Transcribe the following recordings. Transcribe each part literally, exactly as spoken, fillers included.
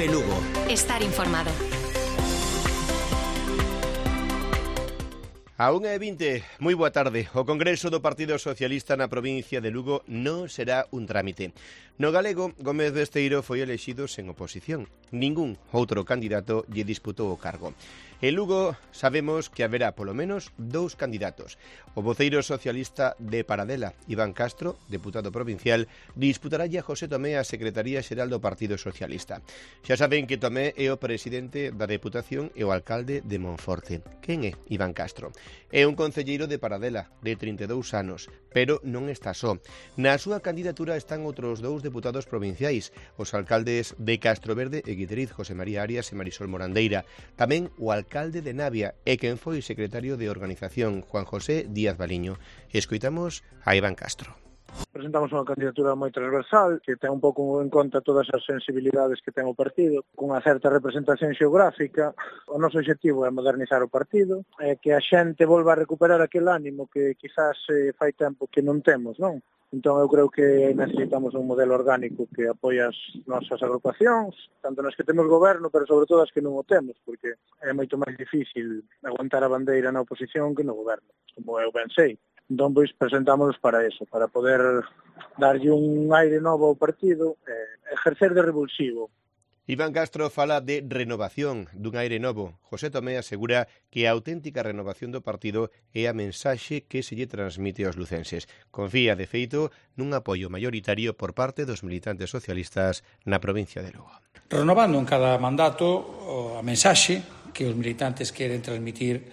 Cope Lugo. Estar informado. A unha e vinte, moi boa tarde. O Congreso do Partido Socialista na provincia de Lugo non será un trámite. No galego, Gómez Besteiro foi elexido sen oposición. Ningún outro candidato lle disputou o cargo. En Lugo sabemos que haberá polo menos dous candidatos. O voceiro socialista de Paradela, Iván Castro, deputado provincial, disputaralle a José Tomé a Secretaría Xeral do Partido Socialista. Xa saben que Tomé é o presidente da Deputación e o alcalde de Monforte. Quen é Iván Castro? É un concelleiro de Paradela, de trinta e dous anos, pero non está só. Na súa candidatura están outros dous deputados provinciais, os alcaldes de Castroverde e Guideriz, José María Arias e Marisol Morandeira, tamén o alcalde de Navia e quen foi secretario de organización, Juan José Díaz Baliño. Escoitamos a Iván Castro. Presentamos unha candidatura moi transversal que ten un pouco en conta todas as sensibilidades que ten o partido, cunha certa representación xeográfica. O noso objetivo é modernizar o partido, é que a xente volva a recuperar aquel ánimo que quizás eh, fai tempo que non temos, non? Entón eu creo que necesitamos un modelo orgánico que apoie as nosas agrupacións, tanto nas que temos goberno, pero sobre todo as que non o temos, porque é moito máis difícil aguantar a bandeira na oposición que no goberno, como eu ben sei. Entón, pois, presentámonos para eso, para poder darlle un aire novo ao partido, eh, ejercer de revulsivo. Iván Castro fala de renovación, dun aire novo. José Tomé asegura que a auténtica renovación do partido é a mensaxe que se lle transmite aos lucenses. Confía, de feito, nun apoio maioritario por parte dos militantes socialistas na provincia de Lugo. Renovando en cada mandato a mensaxe que os militantes queren transmitir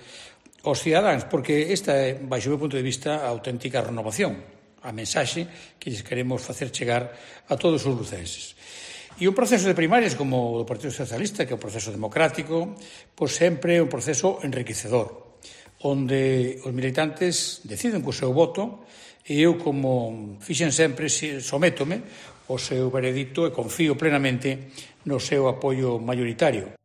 aos cidadáns, porque esta é, baixo o meu punto de vista, a auténtica renovación, a mensaxe que lles queremos facer chegar a todos os lucenses. E un proceso de primarias como o do Partido Socialista, que é un proceso democrático, pois sempre é un proceso enriquecedor, onde os militantes deciden co seu voto e eu, como fixen sempre, sométome ao seu veredicto e confío plenamente no seu apoio maioritario.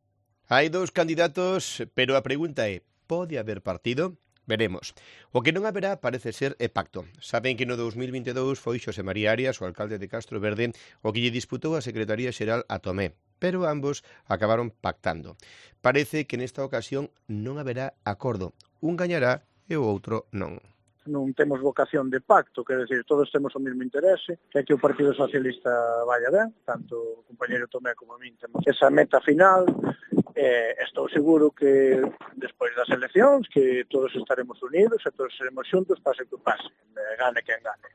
Hai dous candidatos, pero a pregunta é: pode haber partido? Veremos. O que non haberá parece ser é pacto. Saben que no dous mil vinte e dous foi Xosé María Arias, o alcalde de Castroverde, o que lle disputou a Secretaría Xeral a Tomé, pero ambos acabaron pactando. Parece que nesta ocasión non haberá acordo. Un gañará e o outro non. Non temos vocación de pacto, quer decir, todos temos o mesmo interese, que é que o Partido Socialista vaya ben, tanto o compañeiro Tomé como a min temos esa meta final. Eh, estou seguro que despois das eleccións que todos estaremos unidos e todos seremos xuntos, pase que pase, gane quen gane.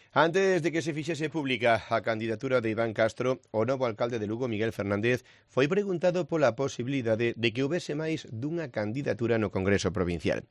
Antes de que se fixese pública a candidatura de Iván Castro, o novo alcalde de Lugo, Miguel Fernández, foi preguntado pola posibilidade de que houbese máis dunha candidatura no Congreso Provincial.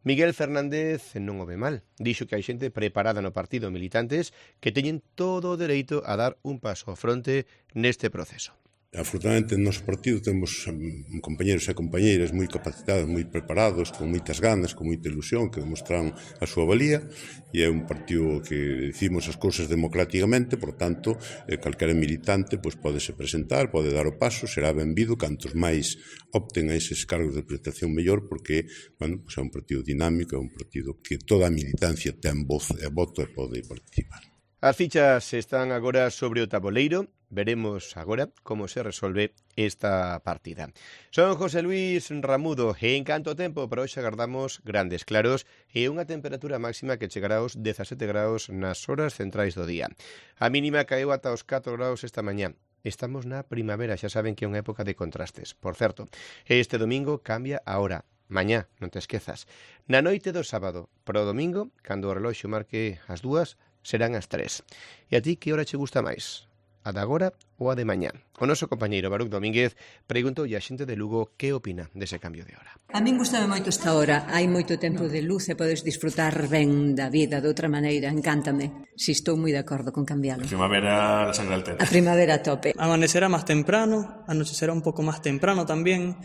Miguel Fernández non o ve mal. Dixo que hai xente preparada no partido, militantes, que teñen todo o dereito a dar un paso ao fronte neste proceso. Afortunadamente, no noso partido temos um, compañeros e compañeiras moi capacitados, moi preparados, con moitas ganas, con moita ilusión, que demostraron a súa valía, e é un partido que decimos as cousas democráticamente, por tanto, eh, calquera militante pois, podese presentar, pode dar o paso, será benvido, cantos máis opten a eses cargos de presentación mellor, porque bueno, pois é un partido dinámico, é un partido que toda a militancia ten voz e voto e pode participar. As fichas están agora sobre o taboleiro. Veremos agora como se resolve esta partida. Son José Luis Ramudo e en canto tempo para hoxe agardamos grandes claros e unha temperatura máxima que chegará aos dezasete graus nas horas centrais do día. A mínima caeu ata os catro graus esta mañá. Estamos na primavera, xa saben que é unha época de contrastes. Por certo, este domingo cambia a hora. Mañá, non te esquezas. Na noite do sábado, para o domingo, cando o reloxo marque as dúas, serán as tres. E a ti que hora che gusta máis? A de agora ou a de mañá? O noso compañeiro Baruch Domínguez preguntou a xente de Lugo que opina dese cambio de hora. A min gustame moito esta hora. Hai moito tempo de luz e podes disfrutar ben da vida de outra maneira. Encántame. Si estou moi de acordo con cambialo. A primavera la sangre al tete. A primavera a tope. Amanecerá más temprano, anochecerá un poco más temprano también,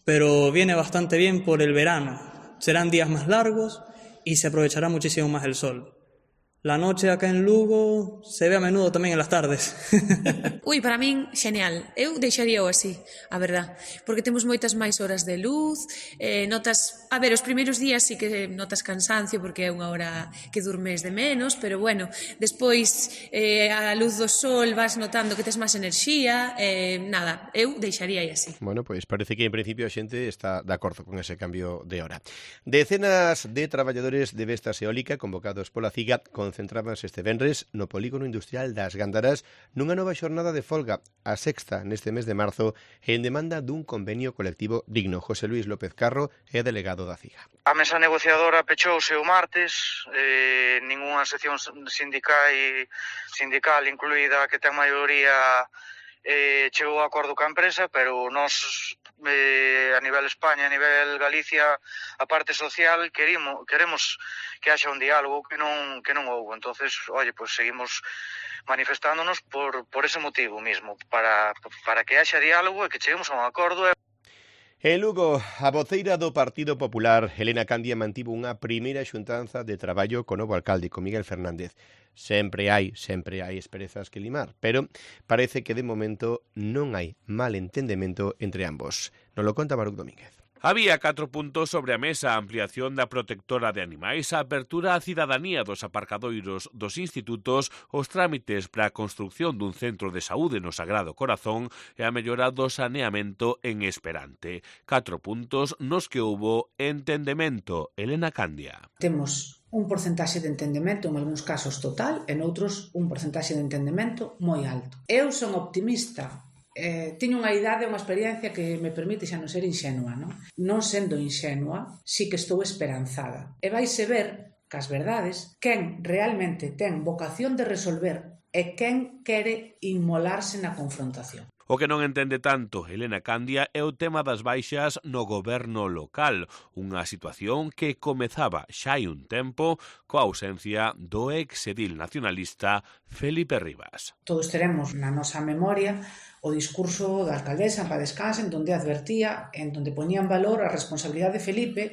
pero viene bastante bien por el verano. Serán días más largos y se aprovechará muchísimo más el sol. La noche acá en Lugo se ve a menudo tamén en las tardes. Ui, para min, xeneal. Eu deixaría o así, a verdad. Porque temos moitas máis horas de luz, eh, notas... A ver, os primeiros días sí que notas cansancio porque é unha hora que durmes de menos, pero bueno, despois eh, a luz do sol vas notando que tes máis enerxía, eh, nada, eu deixaría así. Bueno, pois parece que en principio a xente está de acordo con ese cambio de hora. Decenas de traballadores de Vestas Eólica convocados pola CIGA concentrábanse este venres no polígono industrial das Gándaras nunha nova xornada de folga, a sexta neste mes de marzo, en demanda dun convenio colectivo digno. José Luis López Carro é delegado da CIGA. A mesa negociadora pechouse o martes, eh, ningunha sección sindical, sindical incluída que ten maioría eh, chegou a acordo ca empresa, pero nós eh, a nivel España, a nivel Galicia, a parte social, queremos, queremos que haxa un diálogo que non, que non houve. Entonces, oye, pues seguimos manifestándonos por, por ese motivo mismo, para, para que haxa diálogo e que cheguemos a un acordo. En Lugo, a voceira do Partido Popular, Elena Candia, mantivo unha primeira xuntanza de traballo co novo alcalde, con Miguel Fernández. Sempre hai, sempre hai esperezas que limar, pero parece que de momento non hai mal entendemento entre ambos. Nos lo conta Baruch Domínguez. Había catro puntos sobre a mesa: a ampliación da protectora de animais, a apertura á cidadanía dos aparcadoiros dos institutos, os trámites para a construción dun centro de saúde no Sagrado Corazón e a mellora do saneamento en Esperante. Catro puntos nos que houbo entendemento. Elena Candia. Temos un porcentaxe de entendemento, en algúns casos total, e noutros un porcentaxe de entendemento moi alto. Eu son optimista. Eh, teño unha idade, unha experiencia que me permite xa non ser inxenua, non? Non sendo inxenua, sí que estou esperanzada. E vaise ver, cas verdades, quen realmente ten vocación de resolver e quen quere inmolarse na confrontación. O que non entende tanto Elena Candia é o tema das baixas no goberno local, unha situación que comezaba xa hai un tempo coa ausencia do exedil nacionalista Felipe Rivas. Todos teremos na nosa memoria o discurso da alcaldesa en Paz Descanse, en donde advertía, en donde poñía en valor a responsabilidade de Felipe,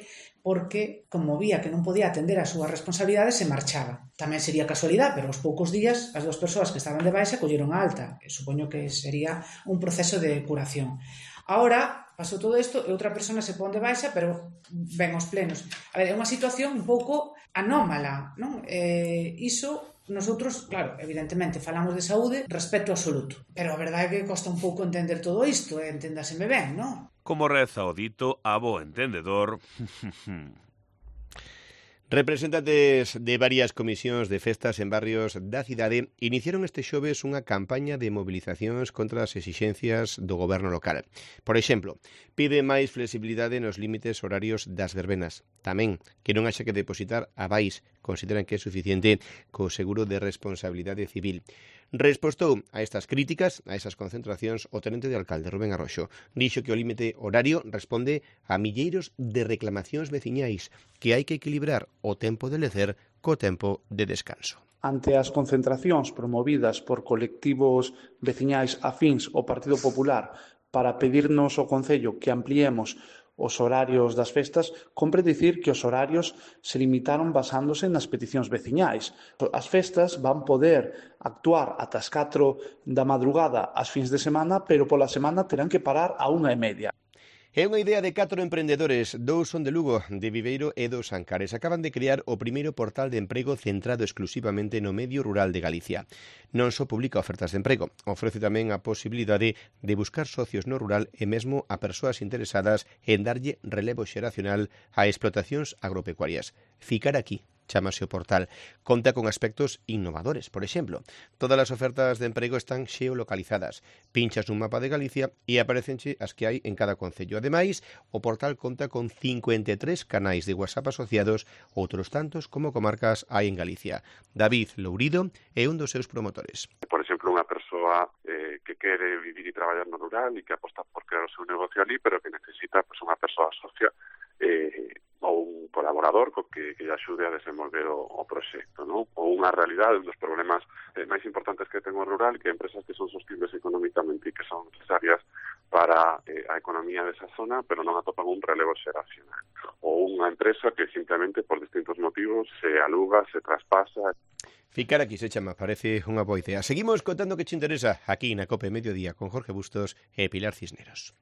porque, como vía que non podía atender as súas responsabilidades, se marchaba. Tamén sería casualidade, pero aos poucos días as dúas persoas que estaban de baixa colleron a alta. E supoño que sería un proceso de curación. Ahora, pasou todo isto e outra persona se pon de baixa, pero ven aos plenos. A ver, é unha situación un pouco anómala, non? Eh, iso, nosotros, claro, evidentemente, falamos de saúde, respeto absoluto. Pero a verdade é que costa un pouco entender todo isto, e enténdaseme ben, non? Como reza o dito, a bo entendedor... Representantes de varias comisións de festas en barrios da cidade iniciaron este xoves unha campaña de movilizacións contra as exixencias do goberno local. Por exemplo, pide máis flexibilidade nos límites horarios das verbenas. Tamén que non haxa que depositar avais, consideran que é suficiente co seguro de responsabilidade civil. Respostou a estas críticas, a esas concentracións, o tenente de alcalde, Rubén Arroxo. Dixo que o límite horario responde a milleiros de reclamacións veciñais, que hai que equilibrar o tempo de lecer co tempo de descanso. Ante as concentracións promovidas por colectivos veciñais afíns ao Partido Popular para pedirnos ao Concello que ampliemos os horarios das festas, compre dicir que os horarios se limitaron basándose nas peticións veciñais. As festas van poder actuar ata as catro da madrugada ás fins de semana, pero pola semana terán que parar a unha e media. É unha idea de catro emprendedores, dous son de Lugo, de Viveiro e dos Ancares. Acaban de crear o primeiro portal de emprego centrado exclusivamente no medio rural de Galicia. Non só publica ofertas de emprego, ofrece tamén a posibilidade de buscar socios no rural e mesmo a persoas interesadas en darlle relevo xeracional a explotacións agropecuarias. Ficar aquí, chámase o portal. Conta con aspectos innovadores. Por exemplo, todas as ofertas de emprego están xeolocalizadas. Pinchas nun mapa de Galicia e aparecenche as que hai en cada concello. Ademais, o portal conta con cincuenta e tres canais de WhatsApp asociados, outros tantos como comarcas hai en Galicia. David Lourido é un dos seus promotores. Por exemplo, unha persoa eh, que quere vivir e traballar no rural e que aposta por crear o seu negocio ali, pero que necesita pues, unha persoa socia eh, ou un colaborador co que, que axude a desenvolver o, o proxecto, non? Ou unha realidade, un dos problemas eh, máis importantes que ten o rural, que empresas que son sostibles económicamente e que son necesarias para eh, a economía desa zona, pero non atopan un relevo xeracional. Ou unha empresa que simplemente por distintos motivos se aluga, se traspasa. Ficar aquí se chama, parece unha boa idea. Seguimos contando que che interesa aquí na COPE Mediodía con Jorge Bustos e Pilar Cisneros.